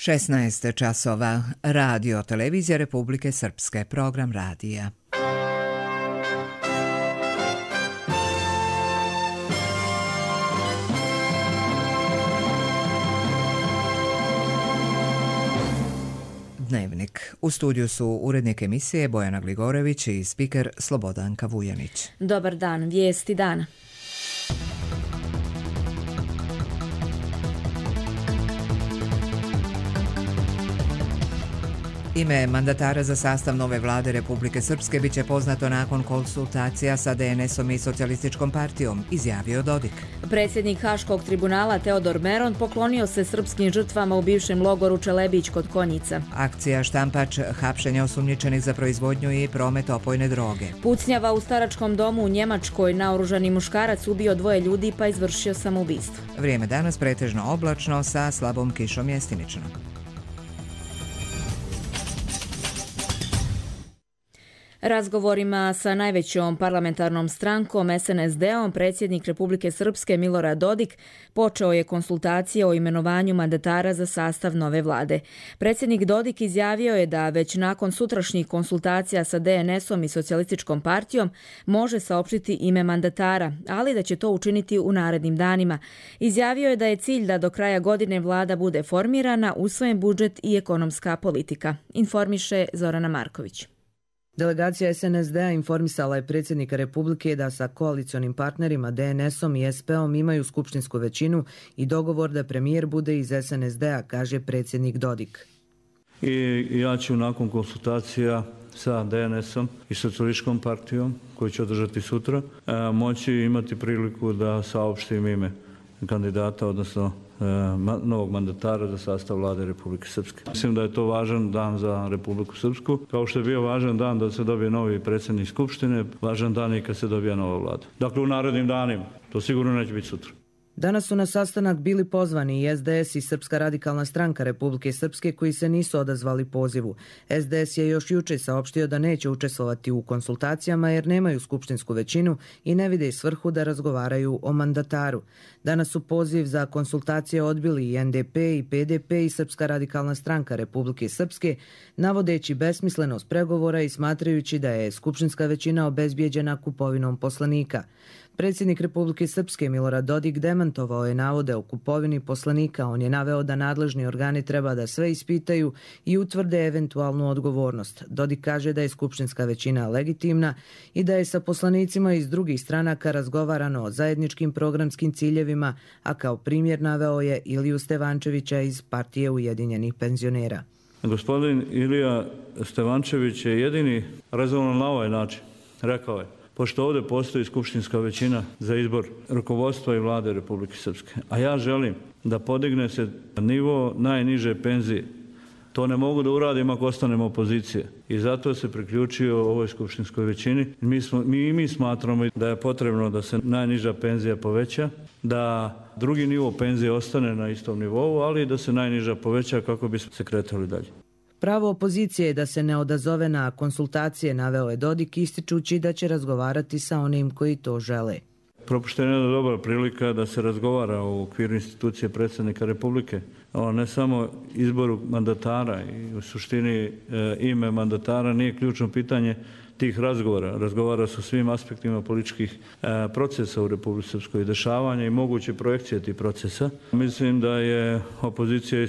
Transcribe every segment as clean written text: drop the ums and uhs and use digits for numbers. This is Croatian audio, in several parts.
16 časova. Radio Televizija Republike Srpske. Program radija. Dnevnik. U studiju su urednik emisije Bojana Gligorević i spiker Slobodanka Vujanić. Dobar dan, vijesti dana. Ime mandatara za sastav nove vlade Republike Srpske biće poznato nakon konsultacija sa DNS-om i Socijalističkom partijom, izjavio Dodik. Predsjednik Haškog tribunala Teodor Meron poklonio se srpskim žrtvama u bivšem logoru Čelebić kod Konjica. Akcija Štampač, hapšenje osumnjičenih za proizvodnju i promet opojne droge. Pucnjava u staračkom domu u Njemačkoj, naoružani muškarac ubio 2 ljudi pa izvršio samoubistvo. Vrijeme danas pretežno oblačno sa slabom kišom mjestimično. Razgovorima sa najvećom parlamentarnom strankom SNSD-om predsjednik Republike Srpske Milorad Dodik počeo je konsultacije o imenovanju mandatara za sastav nove vlade. Predsjednik Dodik izjavio je da već nakon sutrašnjih konsultacija sa DNS-om i Socijalističkom partijom može saopštiti ime mandatara, ali da će to učiniti u narednim danima. Izjavio je da je cilj da do kraja godine vlada bude formirana, usvojen budžet i ekonomska politika. Informiše Zorana Marković. Delegacija SNSD-a informisala je predsjednika Republike da sa koalicionim partnerima DNS-om i SP-om imaju skupštinsku većinu i dogovor da premijer bude iz SNSD-a, kaže predsjednik Dodik. I ja ću nakon konsultacija sa DNS-om i Socijalističkom partijom, koju će održati sutra, moći imati priliku da saopštim ime kandidata, odnosno novog mandatara za sastav vlade Republike Srpske. Mislim da je to važan dan za Republiku Srpsku, kao što je bio važan dan da se dobije novi predsjednik Skupštine, važan dan i kad se dobija nova vlada. Dakle, u narednim danima, to sigurno neće biti sutra. Danas su na sastanak bili pozvani i SDS i Srpska radikalna stranka Republike Srpske koji se nisu odazvali pozivu. SDS je još juče saopštio da neće učestvovati u konsultacijama jer nemaju skupštinsku većinu i ne vide svrhu da razgovaraju o mandataru. Danas su poziv za konsultacije odbili i NDP i PDP i Srpska radikalna stranka Republike Srpske, navodeći besmislenost pregovora i smatrajući da je skupštinska većina obezbijeđena kupovinom poslanika. Predsjednik Republike Srpske Milorad Dodik demantovao je navode o kupovini poslanika. On je naveo da nadležni organi treba da sve ispitaju i utvrde eventualnu odgovornost. Dodik kaže da je skupštinska većina legitimna i da je sa poslanicima iz drugih stranaka razgovarano o zajedničkim programskim ciljevima, a kao primjer naveo je Iliju Stevančevića iz Partije Ujedinjenih penzionera. Gospodin Ilija Stevančević je jedini rezonovan na ovaj način. Rekao je: pošto ovdje postoji skupštinska većina za izbor rukovodstva i vlade Republike Srpske, a ja želim da podigne se nivo najniže penzije. To ne mogu da uradim ako ostanem opozicije. I zato se priključio ovoj skupštinskoj većini. Mi smatramo da je potrebno da se najniža penzija poveća, da drugi nivo penzije ostane na istom nivou, ali da se najniža poveća kako bi se kretali dalje. Pravo opozicije je da se ne odazove na konsultacije, naveo je Dodik, ističući da će razgovarati sa onim koji to žele. Propuštena je dobra prilika da se razgovara u okviru institucije predsjednika Republike, o ne samo izboru mandatara i u suštini ime mandatara nije ključno pitanje tih razgovora. Razgovara su svim aspektima političkih procesa u Republici Srpskoj i dešavanja i moguće projekcije tih procesa. Mislim da je opozicija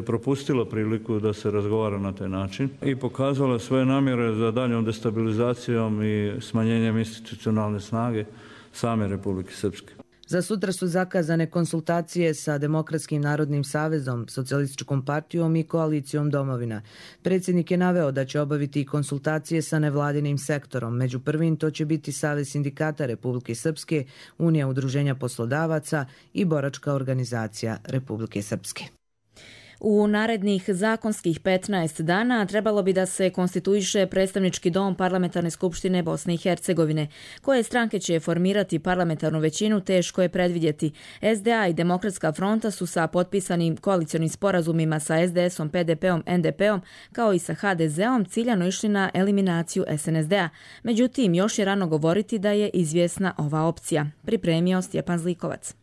propustila priliku da se razgovara na taj način i pokazala svoje namjere za daljom destabilizacijom i smanjenjem institucionalne snage same Republike Srpske. Za sutra su zakazane konsultacije sa Demokratskim narodnim savezom, Socijalističkom partijom i koalicijom Domovina. Predsjednik je naveo da će obaviti konsultacije sa nevladinim sektorom. Među prvim to će biti Savez sindikata Republike Srpske, Unija udruženja poslodavaca i Boračka organizacija Republike Srpske. U narednih zakonskih 15 dana trebalo bi da se konstituiše predstavnički dom Parlamentarne skupštine Bosne i Hercegovine. Koje stranke će formirati parlamentarnu većinu teško je predvidjeti. SDA i Demokratska fronta su sa potpisanim koalicionim sporazumima sa SDS-om, PDP-om, NDP-om kao i sa HDZ-om ciljano išli na eliminaciju SNSD-a. Međutim, još je rano govoriti da je izvjesna ova opcija. Pripremio Stjepan Zlikovac.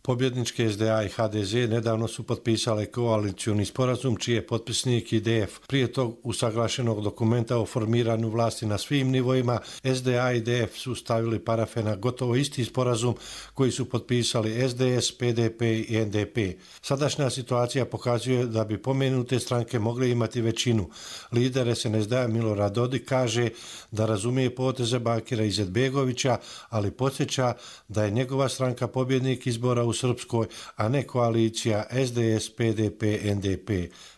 Pobjedničke SDA i HDZ nedavno su potpisale koalicioni sporazum čiji je potpisnik IDF. Prije tog usaglašenog dokumenta o formiranju vlasti na svim nivoima, SDA i IDF su stavili parafe na gotovo isti sporazum koji su potpisali SDS, PDP i NDP. Sadašnja situacija pokazuje da bi pomenute stranke mogle imati većinu. Lider SNSD Milorad Dodik kaže da razumije poteze Bakira Izetbegovića, ali podsjeća da je njegova stranka pobjednik izbora u Srpskoj, a ne koalicija SDS, PDP, NDP.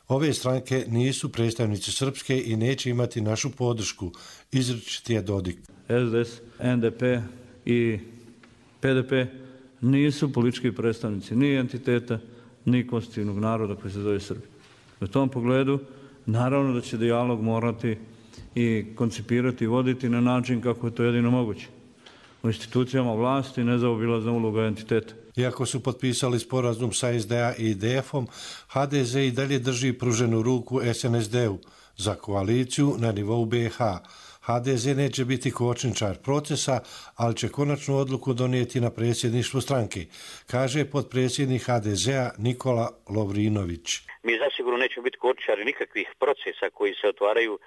Ove stranke nisu predstavnici Srpske i neće imati našu podršku, izričit je Dodik. SDS, NDP i PDP nisu politički predstavnici ni entiteta, ni konstitutivnog naroda koji se zove Srbija. U tom pogledu, naravno da će dijalog morati i koncipirati i voditi na način kako je to jedino moguće. U institucijama vlasti nezaobilazna uloga entiteta. Iako su potpisali sporazum sa SDA i IDF-om, HDZ i dalje drži pruženu ruku SNSD-u za koaliciju na nivou BiH. HDZ neće biti kočničar procesa, ali će konačnu odluku donijeti na predsjedništvu stranke, kaže potpredsjednik HDZ-a Nikola Lovrinović. Mi zasigurno nećemo biti kočničari nikakvih procesa koji se otvaraju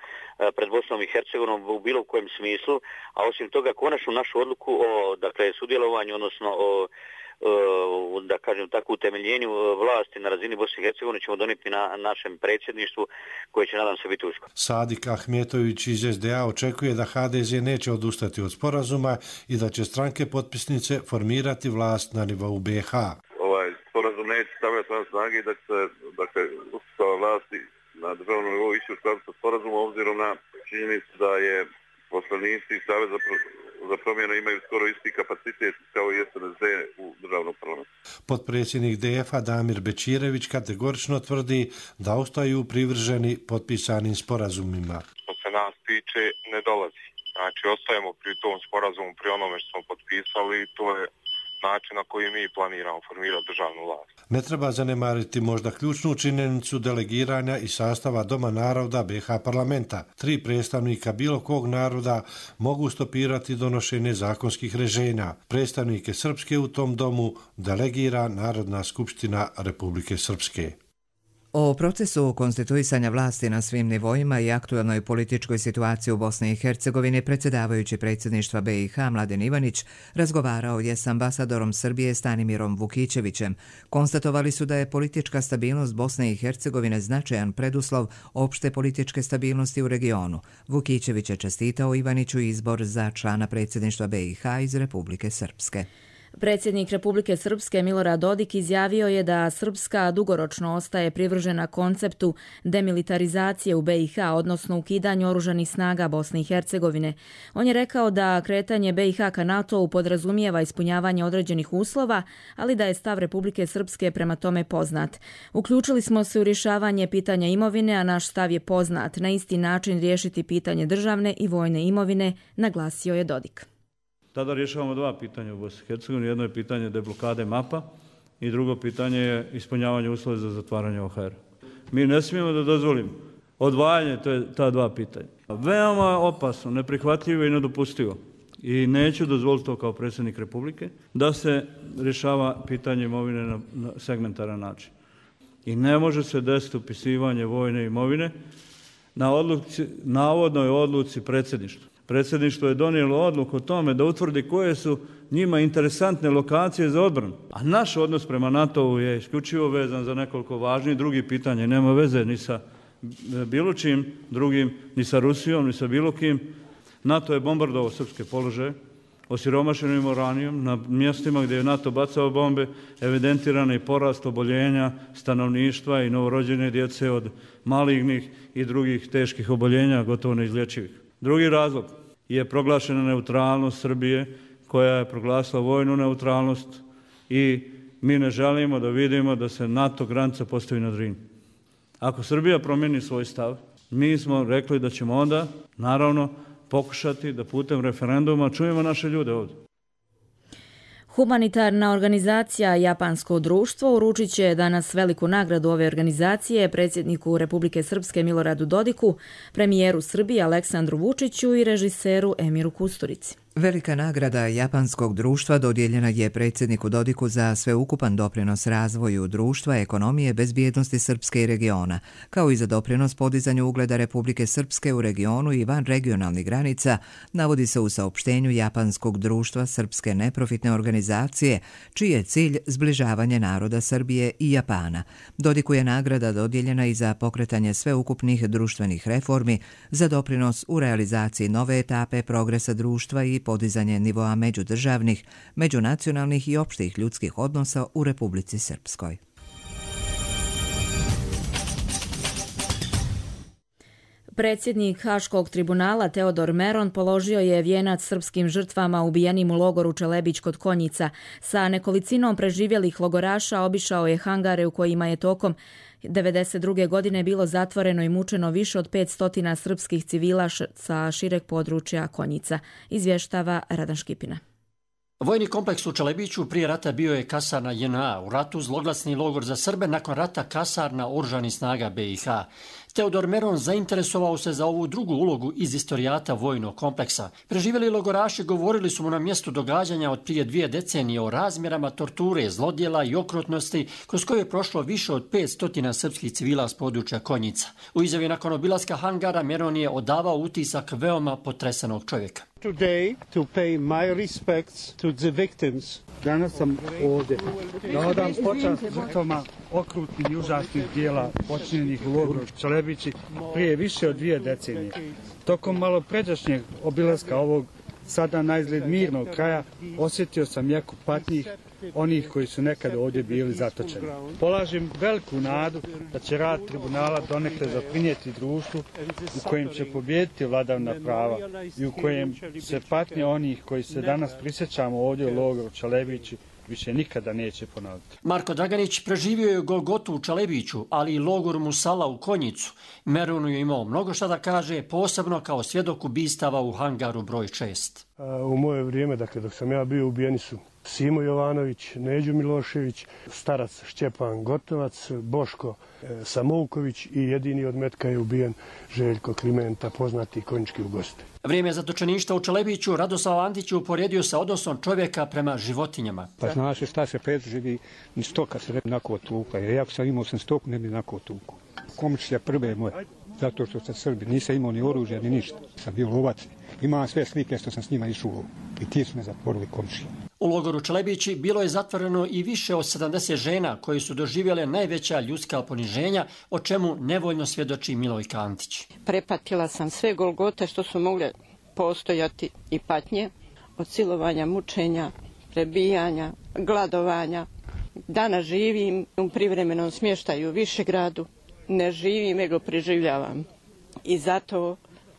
pred Bosnom i Hercegovinom u bilo kojem smislu, a osim toga konačnu našu odluku o sudjelovanju, odnosno o da kažem tako utemeljenju vlasti na razini Bosne i Hercegovine ćemo donijeti na našem predsjedništvu koje će nadam se biti uskoro. Sadik Ahmetović iz SDA očekuje da HDZ neće odustati od sporazuma i da će stranke potpisnice formirati vlast na nivou BiH. Ovaj sporazum neće stavljati van snage i da će se uspostava vlasti na državnom nivou ići u skladu sa sporazumom obzirom na činjenicu da je poslanici Saveza za promjenu imaju skoro isti kapacitet kao i SNSD u državnom parlamentu. Potpredsjednik DF-a Damir Bećirević kategorično tvrdi da ostaju privrženi potpisanim sporazumima. Što se nas tiče, ne dolazi. Znači, ostajemo pri tom sporazumu, pri onome što smo potpisali, to je način na koji mi planiramo formirati državnu vlast. Ne treba zanemariti možda ključnu činjenicu delegiranja i sastava Doma naroda BiH parlamenta. 3 predstavnika bilo kog naroda mogu stopirati donošenje zakonskih rješenja. Predstavnike Srpske u tom domu delegira Narodna skupština Republike Srpske. O procesu konstituisanja vlasti na svim nivoima i aktualnoj političkoj situaciji u Bosni i Hercegovini predsjedavajući predsjedništva BiH Mladen Ivanić razgovarao je s ambasadorom Srbije Stanimirom Vukićevićem. Konstatovali su da je politička stabilnost Bosne i Hercegovine značajan preduslov opšte političke stabilnosti u regionu. Vukićević je čestitao Ivaniću izbor za člana predsjedništva BiH iz Republike Srpske. Predsjednik Republike Srpske Milorad Dodik izjavio je da Srpska dugoročno ostaje privržena konceptu demilitarizacije u BiH, odnosno ukidanju oružanih snaga Bosne i Hercegovine. On je rekao da kretanje BiH ka NATO-u podrazumijeva ispunjavanje određenih uslova, ali da je stav Republike Srpske prema tome poznat. Uključili smo se u rješavanje pitanja imovine, a naš stav je poznat. Na isti način riješiti pitanje državne i vojne imovine, naglasio je Dodik. Tada rješavamo 2 pitanja u Bosni i Hercegovini. Jedno je pitanje deblokade mapa i drugo pitanje je ispunjavanje uslova za zatvaranje OHR. Mi ne smijemo da dozvolimo odvajanje ta 2 pitanja. Veoma opasno, neprihvatljivo i nedopustivo. I neću dozvoliti to kao predsjednik Republike da se rješava pitanje imovine na segmentaran način. I ne može se desiti upisivanje vojne imovine na navodnoj odluci predsjedništva. Predsjedništvo je donijelo odluku o tome da utvrdi koje su njima interesantne lokacije za odbranu. A naš odnos prema NATO-u je isključivo vezan za nekoliko važnih drugih pitanja. Nema veze ni sa bilo čim drugim, ni sa Rusijom, ni sa bilo kim. NATO je bombardovao srpske položaje, osiromašenim uranijom, na mjestima gdje je NATO bacao bombe, evidentirano i porast oboljenja stanovništva i novorođene djece od malignih i drugih teških oboljenja, gotovo neizlječivih. Drugi razlog je proglašena neutralnost Srbije, koja je proglasila vojnu neutralnost i mi ne želimo da vidimo da se NATO granica postavi na Drini. Ako Srbija promijeni svoj stav, mi smo rekli da ćemo onda, naravno, pokušati da putem referenduma čujemo naše ljude ovdje. Humanitarna organizacija Japansko društvo uručit će danas veliku nagradu ove organizacije predsjedniku Republike Srpske Miloradu Dodiku, premijeru Srbije Aleksandru Vučiću i režiseru Emiru Kusturici. Velika nagrada japanskog društva dodijeljena je predsjedniku Dodiku za sveukupan doprinos razvoju društva, ekonomije, bezbjednosti Srpske i regiona, kao i za doprinos podizanju ugleda Republike Srpske u regionu i van regionalnih granica, navodi se u saopštenju japanskog društva Srpske neprofitne organizacije, čiji je cilj zbližavanje naroda Srbije i Japana. Dodiku je nagrada dodijeljena i za pokretanje sveukupnih društvenih reformi, za doprinos u realizaciji nove etape progresa društva i podizanje nivoa međudržavnih, međunacionalnih i opštih ljudskih odnosa u Republici Srpskoj. Predsjednik Haškog tribunala Teodor Meron položio je vijenac srpskim žrtvama ubijenim u logoru Čelebić kod Konjica. Sa nekolicinom preživjelih logoraša obišao je hangare u kojima je tokom 1992. godine bilo zatvoreno i mučeno više od 500 srpskih civila sa šireg područja Konjica, izvještava Radan Škipina. Vojni kompleks u Čelebiću prije rata bio je kasarna JNA, u ratu zloglasni logor za Srbe, nakon rata kasarna oružanih snaga BiH. Teodor Meron zainteresovao se za ovu drugu ulogu iz istorijata vojnog kompleksa. Preživjeli logoraši govorili su mu na mjestu događanja od prije 2 decenije o razmjerama torture, zlodjela i okrutnosti kroz koje je prošlo više od 500 srpskih civila s područja Konjica. U izjavi nakon obilaska hangara Meron je odavao utisak veoma potresenog čovjeka. Today to pay my respects to the victims. Danas sam ovdje da odam počast žrtvama okrutnih i užasnih dijela počinjenih u logoru Čelebići prije više od 2 decenije. Tokom malo pređašnjeg obilaska ovog sada naizgled mirnog kraja osjetio sam jaku patnjih onih koji su nekada ovdje bili zatočeni. Polažem veliku nadu da će rad tribunala donekle doprinijeti društvu u kojem će pobijediti vladavina prava i u kojem se patnje onih koji se danas prisjećamo ovdje u logoru Čelebići više nikada neće ponoviti. Marko Draganić preživio je Golgotu u Čelebiću, ali i logor Musala u Konjicu. Meronu je imao mnogo šta da kaže, posebno kao svjedok ubistava u hangaru broj 6. U moje vrijeme, dakle, dok sam ja bio, ubijeni su Simo Jovanović, Neđo Milošević, starac Šćepan Gotovac, Boško Samouković i jedini od metka je ubijen Željko Klimenta, poznati konjički ugostitelj. Vrijeme zatočeništva u Čelebiću Radoslav Antić je uporedio sa odnosom čovjeka prema životinjama. Pa znaš šta se preživi, ni stoka se ne bi nako tukla. Jer ako sam imao stoku, ne bi nako tukla. Komšija prve moja, zato što sam Srbi, nisam imao ni oružja, ni ništa. Sam bio lovac. Imam sve slike što sam s njima išao i ti su me zatvorili komšije. U logoru Čelebići bilo je zatvoreno i više od 70 žena koje su doživjele najveća ljudska poniženja, o čemu nevoljno svjedoči Milojka Antić. Prepatila sam sve golgote što su mogle postojati i patnje, od silovanja, mučenja, prebijanja, gladovanja. Danas živim u privremenom smještaju u Višegradu, ne živim nego preživljavam i zato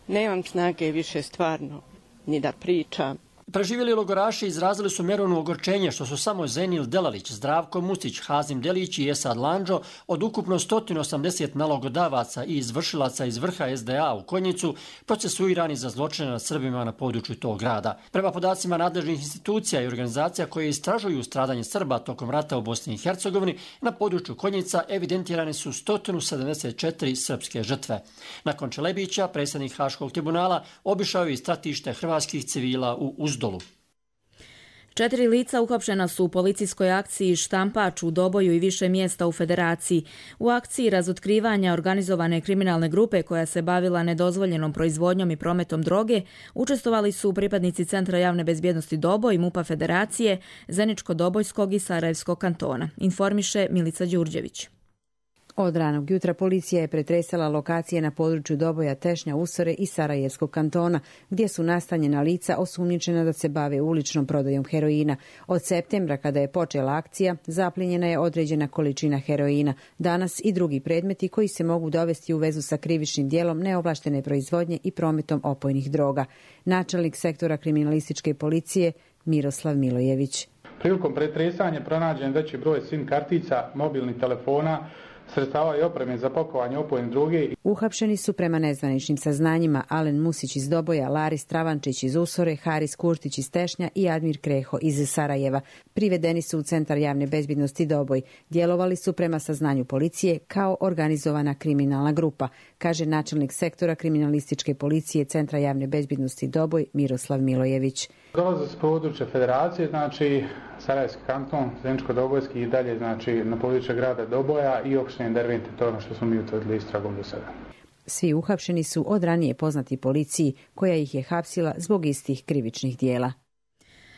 nemam snage više stvarno ni da pričam. Preživjeli logoraši izrazili su Meronu ogorčenje što su samo Zenil Delalić, Zdravko Mustić, Hazim Delić i Esad Landžo od ukupno 180 nalogodavaca i izvršilaca iz vrha SDA u Konjicu procesuirani za zločine nad Srbima na području tog grada. Prema podacima nadležnih institucija i organizacija koje istražuju stradanje Srba tokom rata u Bosni i Hercegovini, na području Konjica evidentirane su 174 srpske žrtve. Nakon Čelebića, predsjednik Haškog tribunala obišao je i stratište hrvatskih civila u Uzdolu. 4 lica uhapšena su u policijskoj akciji Štampač u Doboju i više mjesta u Federaciji. U akciji razotkrivanja organizovane kriminalne grupe koja se bavila nedozvoljenom proizvodnjom i prometom droge učestvovali su pripadnici Centra javne bezbjednosti Doboj, MUP-a Federacije, Zeničko-Dobojskog i Sarajevskog kantona, informiše Milica Đurđević. Od ranog jutra policija je pretresala lokacije na području Doboja, Tešnja, Usore i Sarajevskog kantona, gdje su nastanjena lica osumnjičena da se bave uličnom prodajom heroina. Od septembra, kada je počela akcija, zaplijenjena je određena količina heroina. Danas i drugi predmeti koji se mogu dovesti u vezu sa krivičnim djelom neovlaštene proizvodnje i prometom opojnih droga. Načelnik sektora kriminalističke policije Miroslav Milojević. Prilikom pretresanja pronađen veći broj SIM kartica, mobilnih telefona, sredstava i opreme za pakovanje opojne droge. Uhapšeni su prema nezvaničnim saznanjima Alen Musić iz Doboja, Laris Travančić iz Usore, Haris Kurtić iz Tešnja i Admir Kreho iz Sarajeva. Privedeni su u Centar javne bezbednosti Doboj. Djelovali su prema saznanju policije kao organizovana kriminalna grupa, kaže načelnik sektora kriminalističke policije Centra javne bezbednosti Doboj Miroslav Milojević. Dolaze s područja federacije, znači Sarajevski kanton, Zeničko-Dobojski i dalje, znači na području grada Doboja i opštine Dervente, to je ono što smo mi utvrdili istragom do sada. Svi uhapšeni su od ranije poznati policiji, koja ih je hapsila zbog istih krivičnih dijela.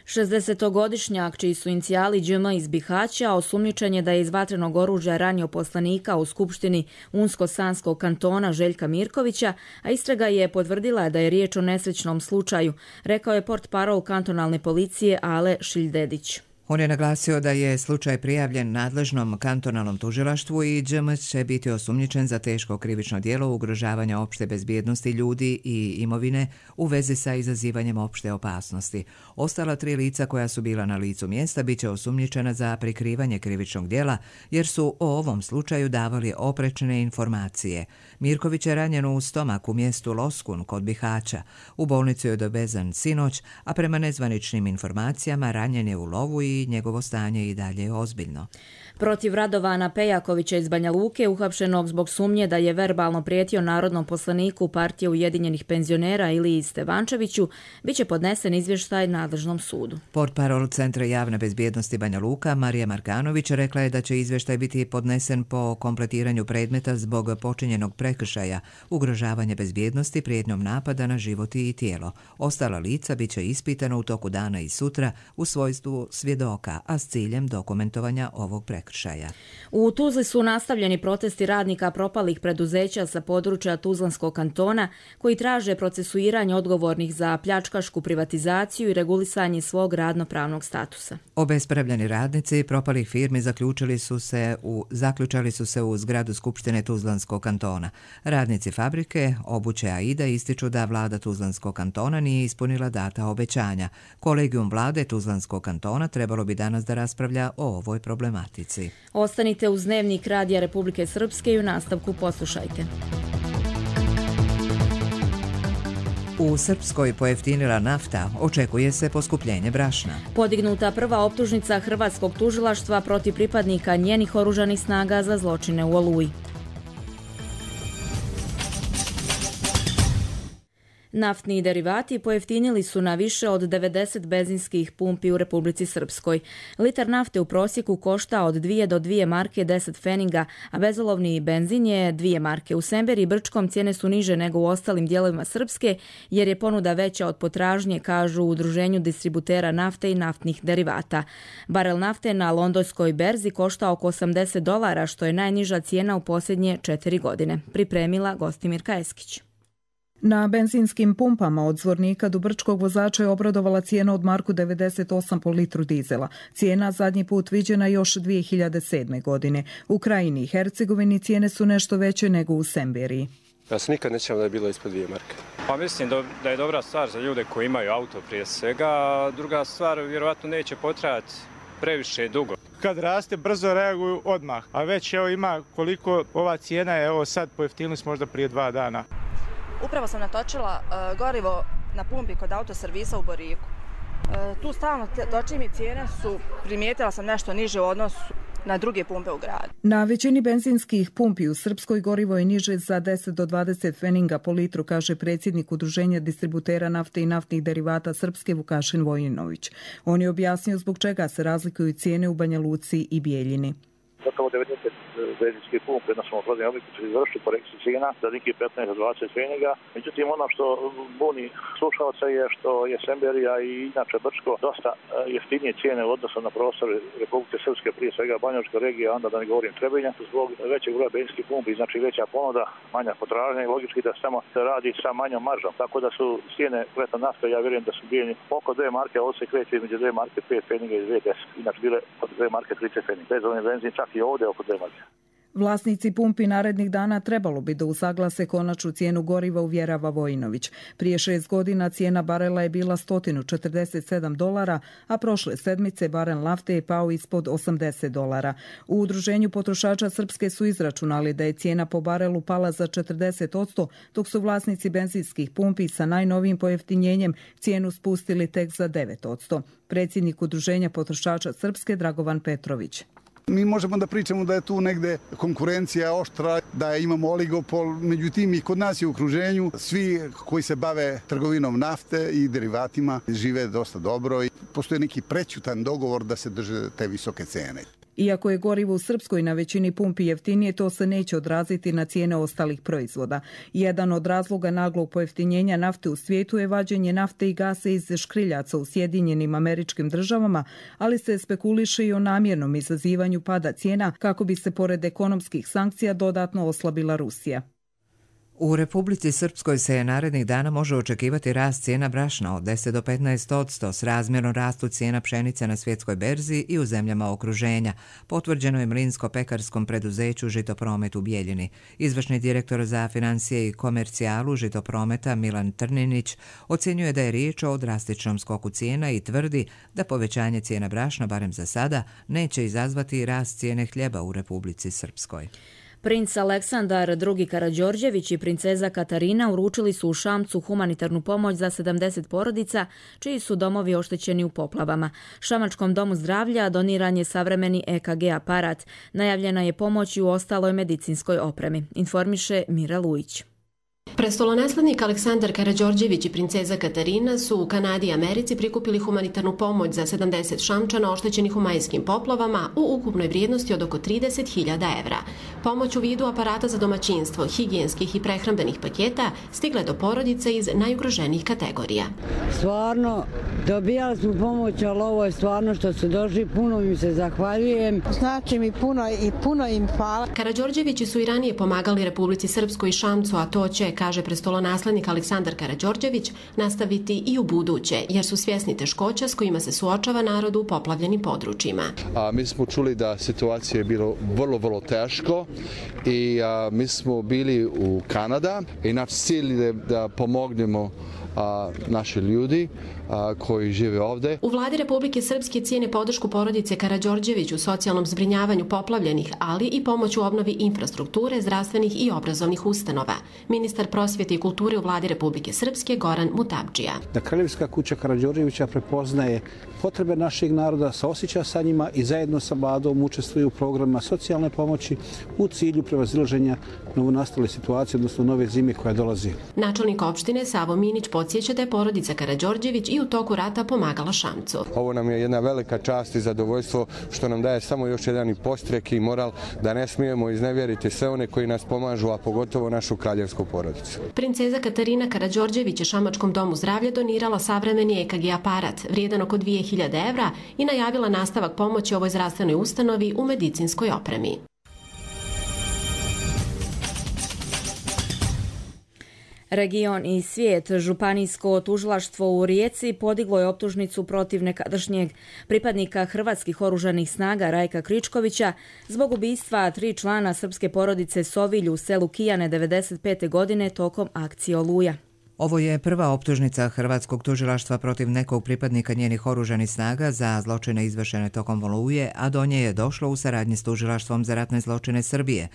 60-godišnjak, čiji su inicijali DM iz Bihaća, osumnjičen je da je iz vatrenog oružja ranio poslanika u Skupštini Unsko-Sanskog kantona Željka Mirkovića, a istraga je potvrdila da je riječ o nesrećnom slučaju, rekao je portparol kantonalne policije Ale Šiljdedić. On je naglasio da je slučaj prijavljen nadležnom kantonalnom tužilaštvu i DM će biti osumnjičen za teško krivično djelo ugrožavanja opšte bezbjednosti ljudi i imovine u vezi sa izazivanjem opšte opasnosti. Ostala 3 lica koja su bila na licu mjesta bit će osumnjičena za prikrivanje krivičnog djela jer su o ovom slučaju davali oprečne informacije. Mirković je ranjen u stomak u mjestu Loskun kod Bihaća. U bolnicu je dovezan sinoć, a prema nezvaničnim informacijama ranjen je u lovu i njegovo stanje i dalje je ozbiljno. Protiv Radovana Pejakovića iz Banja Luke, uhapšenog zbog sumnje da je verbalno prijetio narodnom poslaniku Partije Ujedinjenih penzionera Iliji Stevančeviću, bit će podnesen izvještaj nadležnom sudu. Portparol Centra javne bezbjednosti Banja Luka Marija Markanović rekla je da će izvještaj biti podnesen po kompletiranju predmeta zbog počinjenog prekršaja, ugrožavanje bezbjednosti prijetnjom napada na život i tijelo. Ostala lica bit će ispitana u toku dana i sutra u svojstvu svjedoka, a s ciljem dokumentovanja ovog prekršaja. U Tuzli su nastavljeni protesti radnika propalih preduzeća sa područja Tuzlanskog kantona koji traže procesuiranje odgovornih za pljačkašku privatizaciju i regulisanje svog radnopravnog statusa. Obespravljeni radnici propalih firmi zaključali su se u zgradu Skupštine Tuzlanskog kantona. Radnici fabrike Obuće Aida ističu da vlada Tuzlanskog kantona nije ispunila data obećanja. Kolegijum vlade Tuzlanskog kantona trebalo bi danas da raspravlja o ovoj problematici. Ostanite uz Dnevnik Radija Republike Srpske i u nastavku poslušajte. U Srpskoj pojeftinila nafta, očekuje se poskupljenje brašna. Podignuta prva optužnica hrvatskog tužilaštva protiv pripadnika njenih oružanih snaga za zločine u Oluji. Naftni derivati pojeftinili su na više od 90 benzinskih pumpi u Republici Srpskoj. Litar nafte u prosjeku košta od 2 do 2 marke 10 feninga, a bezolovni benzin je 2 marke. U Semberi i Brčkom cijene su niže nego u ostalim dijelovima Srpske, jer je ponuda veća od potražnje, kažu u Udruženju distributera nafte i naftnih derivata. Barel nafte na londonskoj berzi košta oko $80, što je najniža cijena u posljednje 4 godine. Pripremila Gostimirka Eskić. Na benzinskim pumpama od Zvornika do Brčkog vozača je obradovala cijena od marku 98 po litru dizela. Cijena zadnji put viđena još 2007. godine. U Krajini i Hercegovini cijene su nešto veće nego u Semberiji. Ja se nikad nećem da je bilo ispod 2 marke. Pa mislim da je dobra stvar za ljude koji imaju auto prije svega, a druga stvar vjerovatno neće potrajati previše dugo. Kad raste, brzo reaguju odmah, a već evo ima koliko ova cijena je, evo sad pojeftinili smo možda prije 2 dana. Upravo sam natočila gorivo na pumpi kod autoservisa u Boriku. Tu stalno točim i cijene su, primijetila sam nešto niže u odnosu na druge pumpe u gradu. Na većini benzinskih pumpi u Srpskoj gorivo je niže za 10 do 20 feninga po litru, kaže predsjednik Udruženja distributera nafte i naftnih derivata Srpske Vukašin Vojinović. On je objasnio zbog čega se razlikuju cijene u Banja Luci i Bijeljini. Gotovo 90 benzinske pumpe na svom prodajnom obliku će izvršiti korekciju cijena za nekih 15 do 20 feninga. Međutim, ono što buni slušalca je što je Semberija i inače Brčko dosta jeftinije cijene u odnosu na prostor Republike Srpske, prije svega Banjalučka regija, onda da ne govorim Trebinja, zbog većeg broja benzinskih pumpi, znači veća ponuda, manja potražnja i logički da samo se radi sa manjom maržom. Tako da su cijene kleta nafte, ja vjerujem da su bijeljeni oko 2 marke, a ovdje se kreće između 2 marke 5 feninga i 2,10. Inače bile od 2 marke 30 feninga. Bezovni benzin čak i ovdje oko 2 marke. Vlasnici pumpi narednih dana trebalo bi da usaglase konačnu cijenu goriva, uvjerava Vojinović. Prije 6 godina cijena barela je bila $147, a prošle sedmice barel nafte je pao ispod $80. U Udruženju potrošača Srpske su izračunali da je cijena po barelu pala za 40%, dok su vlasnici benzinskih pumpi sa najnovijim pojeftinjenjem cijenu spustili tek za 9%. Predsjednik Udruženja potrošača Srpske Dragovan Petrović. Mi možemo da pričamo da je tu negde konkurencija oštra, da imamo oligopol, međutim i kod nas je u okruženju svi koji se bave trgovinom nafte i derivatima žive dosta dobro i postoji neki prećutan dogovor da se drže te visoke cene. Iako je gorivo u Srpskoj na većini pumpi jeftinije, to se neće odraziti na cijene ostalih proizvoda. Jedan od razloga naglog pojeftinjenja nafte u svijetu je vađenje nafte i gasa iz škriljaca u Sjedinjenim Američkim Državama, ali se spekuliše i o namjernom izazivanju pada cijena kako bi se pored ekonomskih sankcija dodatno oslabila Rusija. U Republici Srpskoj se narednih dana može očekivati rast cijena brašna od 10 do 15% s razmjerno rastu cijena pšenice na svjetskoj berzi i u zemljama okruženja, potvrđeno je mlinsko-pekarskom preduzeću Žitopromet u Bijeljini. Izvršni direktor za financije i komercijalu Žitoprometa Milan Trninić ocjenjuje da je riječ o drastičnom skoku cijena i tvrdi da povećanje cijena brašna, barem za sada, neće izazvati rast cijene hljeba u Republici Srpskoj. Princ Aleksandar II. Karađorđević i princeza Katarina uručili su u Šamcu humanitarnu pomoć za 70 porodica čiji su domovi oštećeni u poplavama. Šamačkom domu zdravlja doniran je savremeni EKG aparat. Najavljena je pomoć i u ostaloj medicinskoj opremi, informiše Mira Lujić. Prestolonaslednik Aleksandar Karađorđević i princeza Katarina su u Kanadi i Americi prikupili humanitarnu pomoć za 70 Šamčana oštećenih u majskim poplavama u ukupnoj vrijednosti od oko 30.000 evra. Pomoć u vidu aparata za domaćinstvo, higijenskih i prehrambenih paketa stigla je do porodica iz najugroženijih kategorija. Stvarno, dobijali smo pomoć, ali ovo je stvarno što su došli, puno im se zahvaljujem. Znači mi puno im hvala. Karađorđevići su i ranije pomagali Republici Srpskoj i Šamcu, a to će, kaže prestolonaslednik Aleksandar Karađorđević, nastaviti i u buduće, jer su svjesni teškoća s kojima se suočava narod u poplavljenim područjima. Mi smo čuli da situacija je bilo vrlo teško i mi smo bili u Kanada i naš cilj je da pomognemo naši ljudi koji žive ovde. U vladi Republike Srpske cijene podršku porodice Karađorđević u socijalnom zbrinjavanju poplavljenih, ali i pomoć u obnovi infrastrukture, zdravstvenih i obrazovnih ustanova. Ministar prosvjete i kulture u vladi Republike Srpske Goran Mutabdžija. Da Kraljevska kuća Karađorđevića prepoznaje potrebe našeg naroda, saosjeća sa njima i zajedno sa vladom učestvuju u programima socijalne pomoći u cilju prevazilaženja novonastale situacije, odnosno nove zime koja dolazi. Načelnik opštine Savo Minić podsjeća da je porodica Karađorđević i u toku rata pomagala Šamcu. Ovo nam je jedna velika čast i zadovoljstvo što nam daje samo još jedan i postrek i moral da ne smijemo iznevjeriti sve one koji nas pomažu, a pogotovo našu kraljevsku porodicu. Princeza Katarina Karađorđević je Šamačkom domu zdravlja donirala savremeni EKG aparat vrijedan oko 2.000 evra i najavila nastavak pomoći ovoj zdravstvenoj ustanovi u medicinskoj opremi. Region i svijet. Županijsko tužilaštvo u Rijeci podiglo je optužnicu protiv nekadašnjeg pripadnika hrvatskih oružanih snaga Rajka Kričkovića zbog ubistva 3 člana srpske porodice Sovilj u selu Kijane 1995. godine tokom akcije Oluja. Ovo je prva optužnica hrvatskog tužilaštva protiv nekog pripadnika njenih oružanih snaga za zločine izvršene tokom Oluje, a do nje je došlo u saradnji s tužilaštvom za ratne zločine Srbije.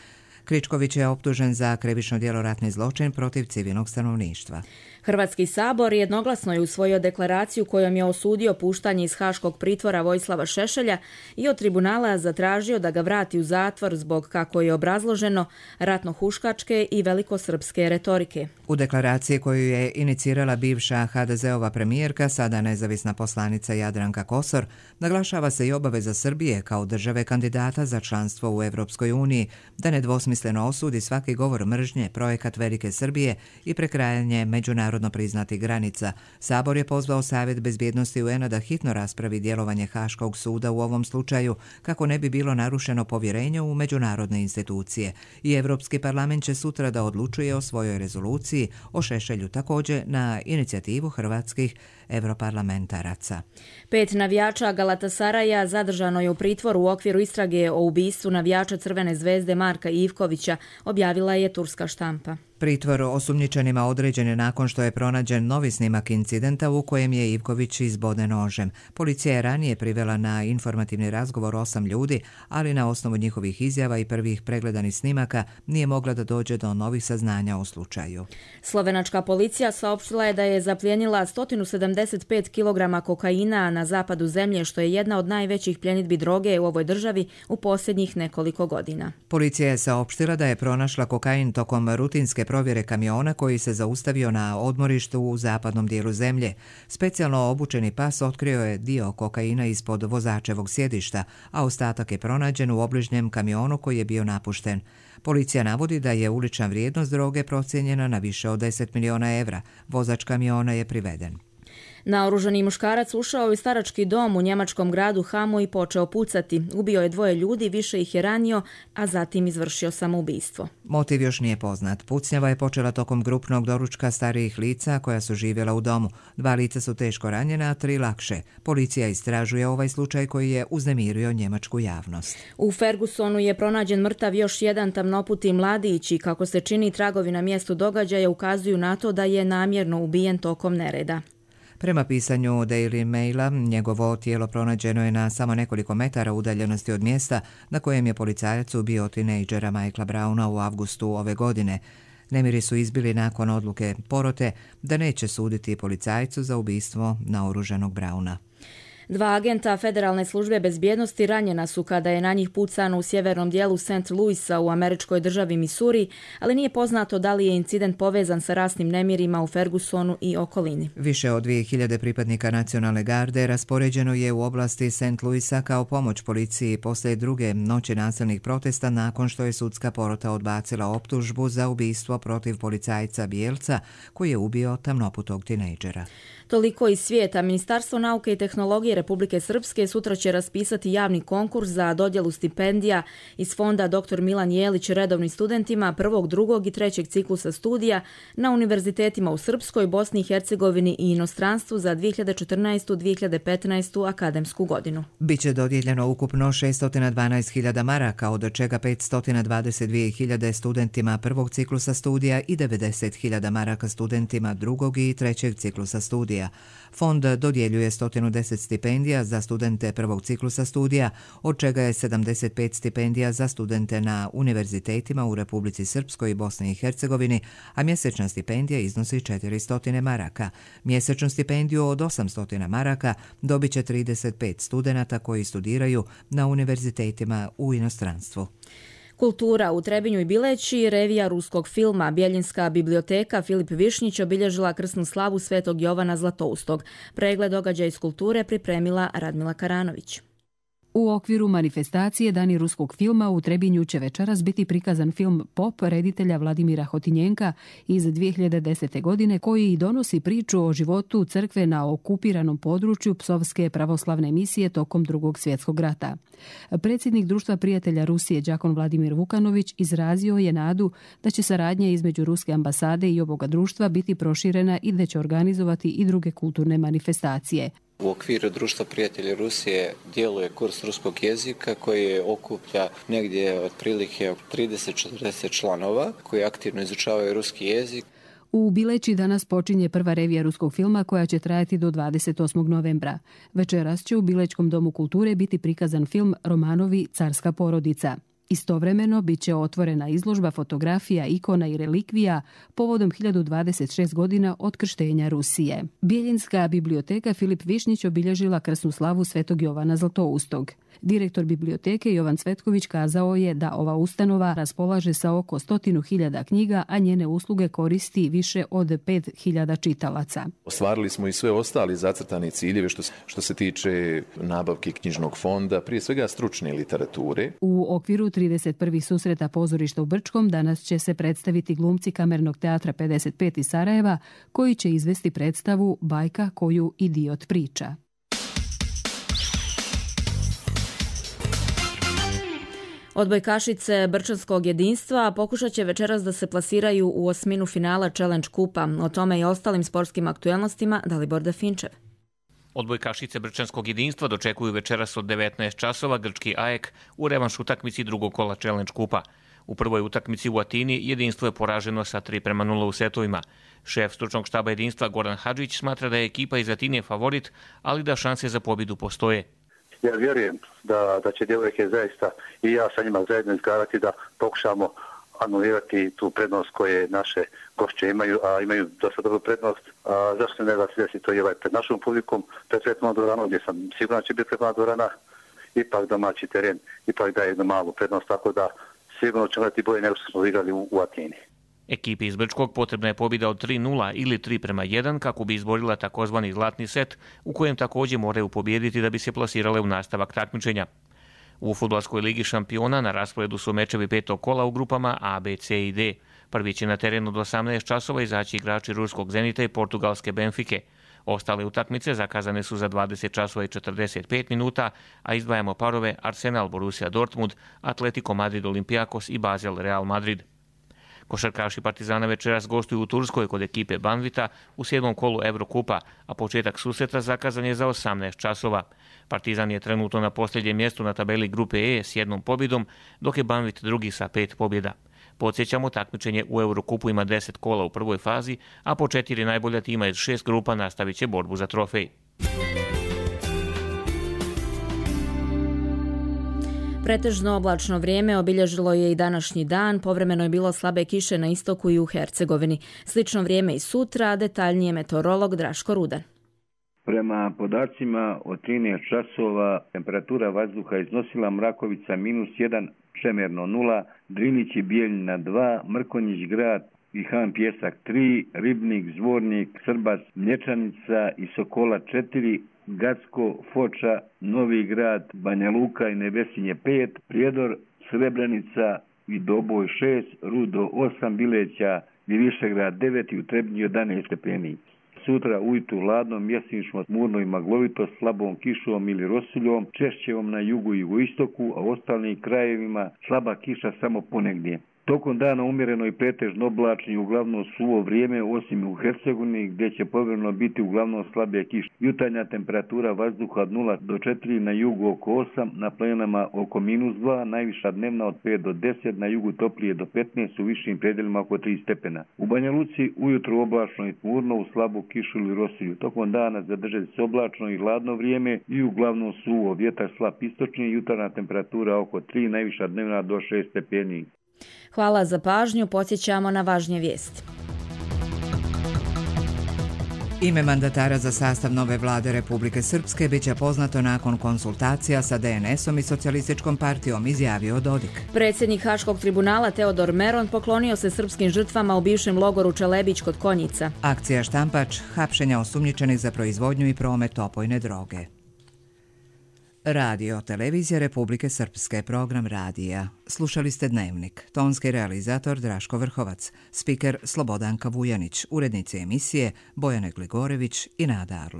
Kričković je optužen za krivično djelo ratni zločin protiv civilnog stanovništva. Hrvatski sabor jednoglasno je usvojio deklaraciju kojom je osudio puštanje iz haškog pritvora Vojislava Šešelja i od tribunala zatražio da ga vrati u zatvor zbog, kako je obrazloženo, ratno-huškačke i velikosrpske retorike. U deklaraciji koju je inicirala bivša HDZ-ova premijerka, sada nezavisna poslanica Jadranka Kosor, naglašava se i obaveza Srbije kao države kandidata za članstvo u Evropskoj uniji da nedvosmisleno osudi svaki govor mržnje, projekat Velike Srbije i prekrajanje međunarodno priznatih granica. Sabor je pozvao Savjet bezbjednosti UN-a da hitno raspravi djelovanje Haškog suda u ovom slučaju kako ne bi bilo narušeno povjerenje u međunarodne institucije. I Evropski parlament će sutra da odlučuje o svojoj rezoluciji o Šešelju, također na inicijativu hrvatskih europarlamentaraca. 5 navijača Galatasaraja zadržano je u pritvoru u okviru istrage o ubistvu navijača Crvene zvezde Marka Ivkovića, objavila je turska štampa. Pritvor osumnjičenima određen je nakon što je pronađen novi snimak incidenta u kojem je Ivković izboden nožem. Policija je ranije privela na informativni razgovor 8 ljudi, ali na osnovu njihovih izjava i prvih pregledanih snimaka nije mogla da dođe do novih saznanja o slučaju. Slovenačka policija saopštila je da je zaplijenila 175 kg kokaina na zapadu zemlje, što je jedna od najvećih pljenidbi droge u ovoj državi u posljednjih nekoliko godina. Policija je saopštila da je pronašla kokain tokom rutinske provjere kamiona koji se zaustavio na odmorištu u zapadnom dijelu zemlje. Specijalno obučeni pas otkrio je dio kokaina ispod vozačevog sjedišta, a ostatak je pronađen u obližnjem kamionu koji je bio napušten. Policija navodi da je ulična vrijednost droge procijenjena na više od 10 miliona evra. Vozač kamiona je priveden. Naoružani muškarac ušao u starački dom u njemačkom gradu Hamu i počeo pucati. Ubio je 2 ljudi, više ih je ranio, a zatim izvršio samoubistvo. Motiv još nije poznat. Pucnjava je počela tokom grupnog doručka starijih lica koja su živjela u domu. 2 lica su teško ranjena, a 3 lakše. Policija istražuje ovaj slučaj koji je uznemirio njemačku javnost. U Fergusonu je pronađen mrtav još jedan tamnoputi mladić i kako se čini tragovi na mjestu događaja ukazuju na to da je namjerno ubijen tokom nereda. Prema pisanju Daily Maila, njegovo tijelo pronađeno je na samo nekoliko metara udaljenosti od mjesta na kojem je policajac ubio tinejdžera Michaela Browna u avgustu ove godine. Nemiri su izbili nakon odluke porote da neće suditi policajcu za ubistvo naoružanog Browna. 2 agenta Federalne službe bezbjednosti ranjena su kada je na njih pucano u sjevernom dijelu St. Louisa u američkoj državi Missouri, ali nije poznato da li je incident povezan sa rasnim nemirima u Fergusonu i okolini. Više od 2000 pripadnika nacionalne garde raspoređeno je u oblasti St. Louisa kao pomoć policiji poslije druge noći nasilnih protesta nakon što je sudska porota odbacila optužbu za ubistvo protiv policajca bijelca koji je ubio tamnoputog tinejdžera. Toliko iz svijeta. Ministarstvo nauke i tehnologije Republike Srpske sutra će raspisati javni konkurs za dodjelu stipendija iz fonda Dr. Milan Jelić redovnim studentima 1., 2. i 3. ciklusa studija na univerzitetima u Srpskoj, Bosni i Hercegovini i inostranstvu za 2014-2015 akademsku godinu. Biće dodijeljeno ukupno 612.000 maraka, od čega 522.000 studentima 1. ciklusa studija i 90.000 maraka studentima 2. i 3. ciklusa studija. Fond dodjeljuje 110 stipendija za studente 1. ciklusa studija, od čega je 75 stipendija za studente na univerzitetima u Republici Srpskoj i Bosni i Hercegovini, a mjesečna stipendija iznosi 400 maraka. Mjesečnu stipendiju od 800 maraka dobit će 35 studenata koji studiraju na univerzitetima u inostranstvu. Kultura u Trebinju i Bileći, revija ruskog filma Bjeljinska biblioteka Filip Višnjić obilježila krsnu slavu Svetog Jovana Zlatoustog. Pregled događaja iz kulture pripremila Radmila Karanović. U okviru manifestacije Dani ruskog filma u Trebinju će večeras biti prikazan film Pop reditelja Vladimira Hotinjenka iz 2010. godine koji donosi priču o životu crkve na okupiranom području Psovske pravoslavne misije tokom Drugog svjetskog rata. Predsjednik Društva prijatelja Rusije đakon Vladimir Vukanović izrazio je nadu da će saradnja između Ruske ambasade i ovoga društva biti proširena i da će organizovati i druge kulturne manifestacije. U okviru Društva prijatelja Rusije djeluje kurs ruskog jezika koji okuplja negdje otprilike 30-40 članova koji aktivno izučavaju ruski jezik. U Bileći danas počinje prva revija ruskog filma koja će trajati do 28. novembra. Večeras će u Bilečkom domu kulture biti prikazan film Romanovi Carska porodica. Istovremeno bit će otvorena izložba fotografija, ikona i relikvija povodom 1026 godina od krštenja Rusije. Bjeljinska biblioteka Filip Višnjić obilježila krsnu slavu Svetog Jovana Zlatoustog. Direktor biblioteke Jovan Cvetković kazao je da ova ustanova raspolaže sa oko 100.000 knjiga, a njene usluge koristi više od 5.000 čitalaca. Ostvarili smo i sve ostali zacrtani ciljeve što se tiče nabavke knjižnog fonda, prije svega stručne literature. U okviru 31. susreta pozorišta u Brčkom danas će se predstaviti glumci Kamernog teatra 55 iz Sarajeva koji će izvesti predstavu Bajka koju idiot priča. Odbojkašice Brčanskog jedinstva pokušat će večeras da se plasiraju u osminu finala Challenge kupa. O tome i ostalim sportskim aktuelnostima Dalibor Dafinčev. Odbojkašice Brčanskog jedinstva dočekuju večeras od 19 časova grčki AEK u revanš utakmici drugog kola Challenge kupa. U prvoj utakmici u Atini jedinstvo je poraženo sa 3:0 u setovima. Šef stručnog štaba jedinstva Goran Hadžić smatra da je ekipa iz Atine favorit, ali da šanse za pobjedu postoje. Ja vjerujem da će djevojke zaista i ja sa njima zajedno izgledati da pokušamo anulirati tu prednost koje naše gošće imaju, a imaju dosta dobru prednost. Zašto ne da se desi to i pred našom publikom, pred Svetnom dvoranom, gdje sam sigurno će biti Svetna dvorana, ipak domaći teren, ipak daje jednu malu prednost, tako da sigurno ćemo imati bolje nego što smo igrali u Atini. Ekipi iz Brčkog potrebna je pobjeda od 3:0 ili 3:1 kako bi izborila takozvani zlatni set, u kojem također moraju pobijediti da bi se plasirale u nastavak takmičenja. U fudbalskoj ligi šampiona na rasporedu su mečevi petog kola u grupama A, B, C i D. Prvi će na terenu do 18 časova izaći igrači ruskog Zenita i portugalske Benfike. Ostale utakmice zakazane su za 20 časova i 45 minuta, a izdvajamo parove Arsenal, Borussia Dortmund, Atletico Madrid, Olympiakos i Basel, Real Madrid. Košarkaši Partizana večeras gostuju u Turskoj kod ekipe Banvita u 7. kolu Eurokupa, a početak susreta zakazan je za 18 časova. Partizan je trenutno na posljednjem mjestu na tabeli grupe E s 1 pobjedom, dok je Banvit drugi sa 5 pobjeda. Podsjećamo, takmičenje u Eurokupu ima 10 kola u prvoj fazi, a po 4 najbolja tima iz 6 grupa nastavit će borbu za trofej. Pretežno oblačno vrijeme obilježilo je i današnji dan, povremeno je bilo slabe kiše na istoku i u Hercegovini. Slično vrijeme i sutra, detaljnije meteorolog Draško Rudan. Prema podacima od 13 časova temperatura vazduha iznosila Mrakovica -1, Čemerno 0, Drinić i Bijeljina 2, Mrkonjić grad i Han Pjesak 3, Ribnik, Zvornik, Srbac, Mlječanica i Sokola 4, Gacko, Foča, Novi grad, Banja Luka i Nevesinje 5, Prijedor, Srebrenica i Doboj 6, Rudo 8, Bileća i Višegrad 9 i u Trebnji 11 stepeni. Sutra ujutru hladno, mjesnično, tmurno i maglovito, slabom kišom ili rosuljom, češćevom na jugu i jugoistoku, a u ostalim krajevima slaba kiša samo ponegdje. Tokom dana umjereno i pretežno oblačno i uglavnom suvo vrijeme, osim u Hercegovini gdje će povremeno biti uglavnom slabija kiša. Jutarnja temperatura vazduha od 0 do 4, na jugu oko 8, na planinama oko -2, najviša dnevna od 5 do 10, na jugu toplije do 15, u višim predjelima oko 3 stepena. U Banja Luci ujutro oblačno i tmurno, u slabu kišu ili rosulju. Tokom dana zadržati se oblačno i hladno vrijeme i uglavnom suvo, vjetar slab istočni, jutarnja temperatura oko 3, najviša dnevna do 6 stepeni. Hvala za pažnju, podsjećamo na važnije vijesti. Ime mandatara za sastav nove vlade Republike Srpske biće poznato nakon konsultacija sa DNS-om i Socijalističkom partijom, izjavio Dodik. Predsjednik Haškog tribunala Teodor Meron poklonio se srpskim žrtvama u bivšem logoru Čelebić kod Konjica. Akcija Štampač, hapšenja osumnjičenih za proizvodnju i promet opojne droge. Radio Televizija Republike Srpske, program radija. Slušali ste Dnevnik. Tonski realizator Draško Vrhovac, spiker Slobodanka Vujanić, urednici emisije Bojane Gligorević i Nada Arlo.